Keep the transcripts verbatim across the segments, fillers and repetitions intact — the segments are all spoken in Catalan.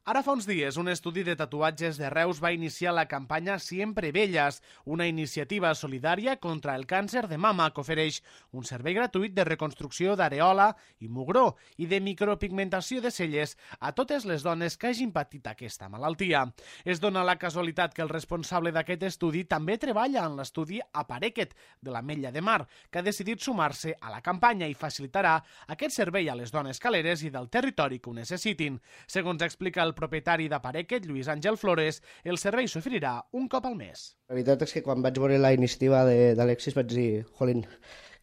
Ara fa uns dies, un estudi de tatuatges de Reus va iniciar la campanya Siempre Belles, una iniciativa solidària contra el càncer de mama que ofereix un servei gratuït de reconstrucció d'areola i mugró i de micropigmentació de celles a totes les dones que hagin patit aquesta malaltia. Es dona la casualitat que el responsable d'aquest estudi també treballa en l'estudi Aparequet de l'Ametlla de Mar, que ha decidit sumar-se a la campanya i facilitarà aquest servei a les dones caleres i del territori que ho necessitin. Segons explica el El propietari d'Aparequet, Lluís Àngel Flores, el servei s'oferirà un cop al mes. La veritat és que quan vaig veure la iniciativa d'Alexis vaig dir, jolín,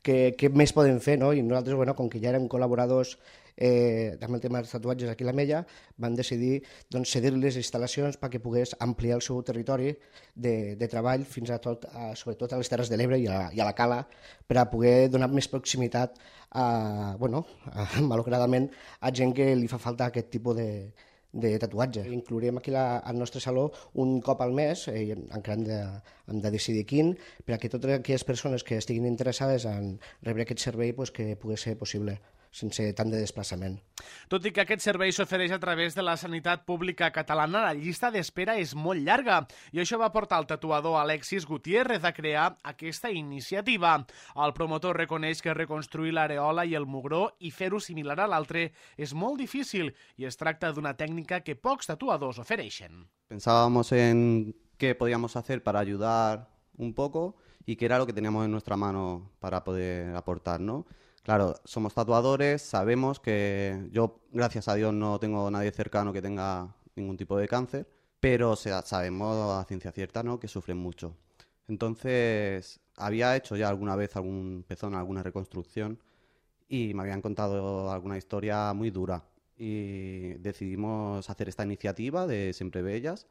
què, què més podem fer, no? I nosaltres, bueno, com que ja érem col·laboradors eh, amb el tema dels tatuatges aquí a l'Ametlla, vam decidir doncs, cedir les instal·lacions perquè pogués ampliar el seu territori de, de treball fins a tot, a, sobretot a les Terres de l'Ebre i, a, i a la Cala, per a poder donar més proximitat a, bueno, a, malauradament, a gent que li fa falta aquest tipus de de tatuatge. Inclourem aquí la, al nostre saló un cop al mes, eh, encara hem de, hem de decidir quin, perquè totes aquelles persones que estiguin interessades en rebre aquest servei pues, que pugui ser possible sense tant de desplaçament. Tot i que aquest servei s'ofereix a través de la sanitat pública catalana, la llista d'espera és molt llarga i això va portar el tatuador Alexis Gutiérrez a crear aquesta iniciativa. El promotor reconeix que reconstruir l'areola i el mugró i fer-ho similar a l'altre és molt difícil i es tracta d'una tècnica que pocs tatuadors ofereixen. Pensábamos en qué podíamos hacer para ayudar un poco y qué era lo que teníamos en nuestra mano para poder aportar, ¿no? Claro, somos tatuadores, sabemos que yo, gracias a Dios, no tengo nadie cercano que tenga ningún tipo de cáncer, pero o sea, sabemos a ciencia cierta, ¿no?, que sufren mucho. Entonces, había hecho ya alguna vez algún pezón, alguna reconstrucción y me habían contado alguna historia muy dura y decidimos hacer esta iniciativa de Siempre Bellas,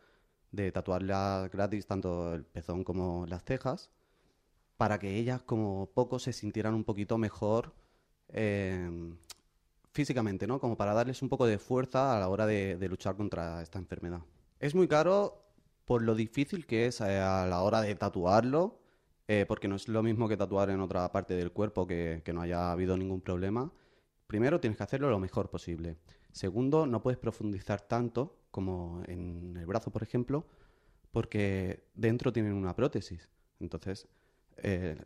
de tatuarlas gratis tanto el pezón como las cejas, para que ellas como poco se sintieran un poquito mejor eh, físicamente, ¿no? Como para darles un poco de fuerza a la hora de, de luchar contra esta enfermedad. Es muy caro por lo difícil que es eh, a la hora de tatuarlo, eh, porque no es lo mismo que tatuar en otra parte del cuerpo que, que no haya habido ningún problema. Primero, tienes que hacerlo lo mejor posible. Segundo, no puedes profundizar tanto como en el brazo, por ejemplo, porque dentro tienen una prótesis. Entonces, Eh,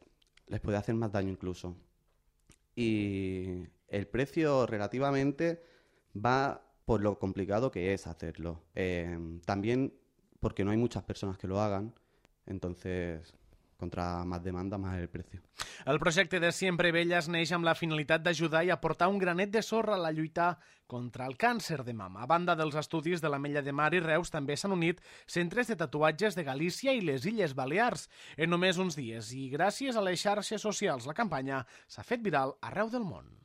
les puede hacer más daño incluso. Y el precio relativamente va por lo complicado que es hacerlo. Eh, también porque no hay muchas personas que lo hagan, entonces contra más demanda, más el precio. El projecte de Siempre Belles neix amb la finalitat d'ajudar i aportar un granet de sorra a la lluita contra el càncer de mama. A banda dels estudis de l'Ametlla de Mar i Reus, també s'han unit centres de tatuatges de Galícia i les Illes Balears. En només uns dies i gràcies a les xarxes socials, la campanya s'ha fet viral arreu del món.